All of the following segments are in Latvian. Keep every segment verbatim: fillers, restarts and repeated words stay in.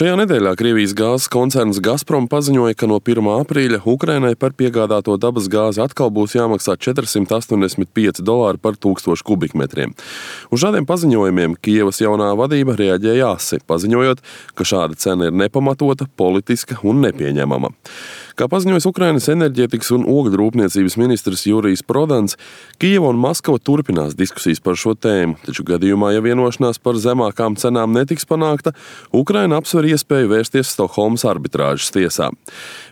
Šajā nedēļā Krievijas gāzes koncerns Gazprom paziņoja, ka no pirmā aprīļa Ukrainai par piegādāto dabas gāzi atkal būs jāmaksā četri simti astoņdesmit pieci dolāri par tūkstošu kubikmetriem. Uz šādiem paziņojumiem Kijevas jaunā vadība reaģēja asi, paziņojot, ka šāda cena ir nepamatota, politiska un nepieņemama. Kā paziņojas Ukrainas enerģētikas un ogļu rūpniecības ministrs Jurijs Prodans, Kijeva un Maskava turpinās diskusijas par šo tēmu, taču gadījumā, ja vienošanās par zemākām cenām netiks panākta, Ukraina apsver iespēju vērsties Stokholmas arbitrāžas tiesā.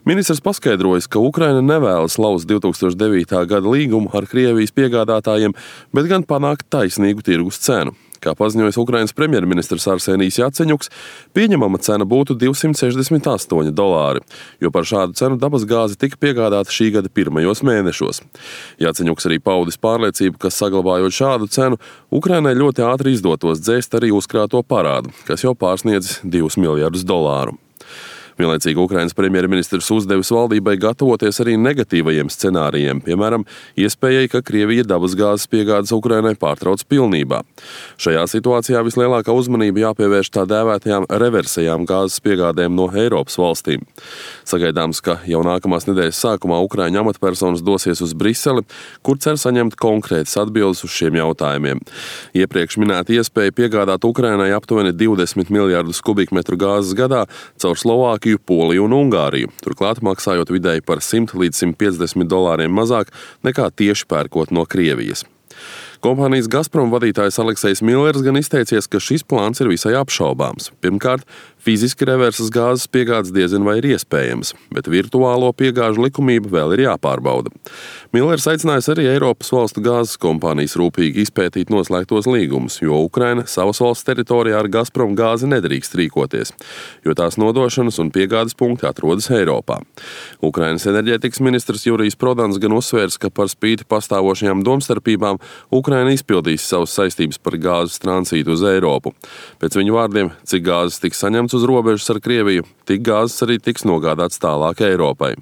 Ministrs paskaidrojas, ka Ukraina nevēlas lauzt divi tūkstoši devītā gada līgumu ar Krievijas piegādātājiem, bet gan panākt taisnīgu tirgus cenu. Kā paziņojas Ukrainas premjerministrs Arsenijs Jaceņuks, pieņemama cena būtu divsimt sešdesmit astoņi dolāri, jo par šādu cenu dabas gāze tika piegādāta šī gada pirmajos mēnešos. Jaceņuks arī paudis pārliecību, ka saglabājot šādu cenu, Ukrainai ļoti ātri izdotos dzēst arī uzkrāto parādu, kas jau pārsniedz divus miljardus dolāru. Vienlaicīgi Ukrainas premjerministrs uzdevis valdībai gatavoties arī negatīvajiem scenārijiem, piemēram, iespējai, ka Krievija dabasgāzes piegādes Ukrainai pārtrauc pilnībā. Šajā situācijā vislielākā uzmanība jāpievērš tā dēvētajām reversējām gāzes piegādēm no Eiropas valstīm. Sagaidāms, ka jau nākamās nedēļas sākumā Ukraiņu amatpersonas dosies uz Briseli, kur cer saņemt konkrētas atbildes uz šiem jautājumiem. Iepriekš minēta iespēja piegādāt Ukrainai aptuveni divdesmit miljardus kubikmetru gāzes gadā caur Slovākiju, Poliju un Ungāriju, turklāt maksājot vidēji par simt līdz simt piecdesmit dolāriem mazāk nekā tieši pērkot no Krievijas. Kompānijas Gazprom vadītājs Aleksejs Millers gan izteicies, ka šis plāns ir visai apšaubāms. Pirmkārt, fiziski reversas gāzes piegādes diezin vai ir iespējams, bet virtuālo piegāžu likumība vēl ir jāpārbauda. Millers aicinājis arī Eiropas valstu gāzes kompānijas rūpīgi izpētīt noslēgtos līgumus, jo Ukraina savas valsts teritorijā ar Gazprom gāzi nedrīkst rīkoties, jo tās nodošanas un piegādes punkti atrodas Eiropā. Ukrainas enerģētikas ministrs Jurijs Prodans gan uzsvērs, ka par spīti pastāvošajām domstarpībām Ukraina izpildīs savas saistības par gāzes tranzītu uz Eiropu. Pēc viņu vārdiem, cik gāzes tiks saņemts uz robežas ar Krieviju, tik gāzes arī tiks nogādāts tālāk Eiropai.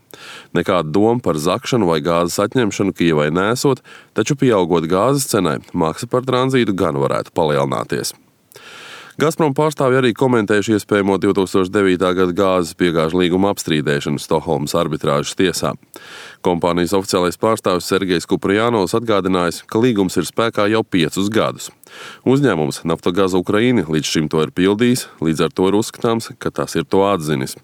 Nekāda doma par zakšanu vai gāzes atņemšanu Kijevai nesot, taču pieaugot gāzes cenai, maksa par tranzītu gan varētu palielināties. Gazprom pārstāvji arī komentējuši iespējamo divi tūkstoši devītā gada gāzes piegāžu līguma apstrīdēšanu Stokholmas arbitrāžas tiesā. Kompānijas oficiālais pārstāvis Sergejs Kuprjanovs atgādinājis, ka līgums ir spēkā jau piecus gadus. Uzņēmums Naftogaz Ukraina līdz šim to ir pildījis, līdz ar to ir uzskatāms, ka tas ir to atzinis.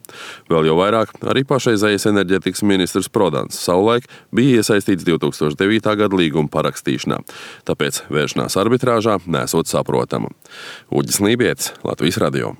Vēl jau vairāk arī pašreizējais enerģētikas ministrs Prodans savulaik bija iesaistīts divi tūkstoši devītā gada līguma parakstīšanā, tāpēc vēršanās arbitrāžā nesot saprotama. Uģis Lībietis, Latvijas radio.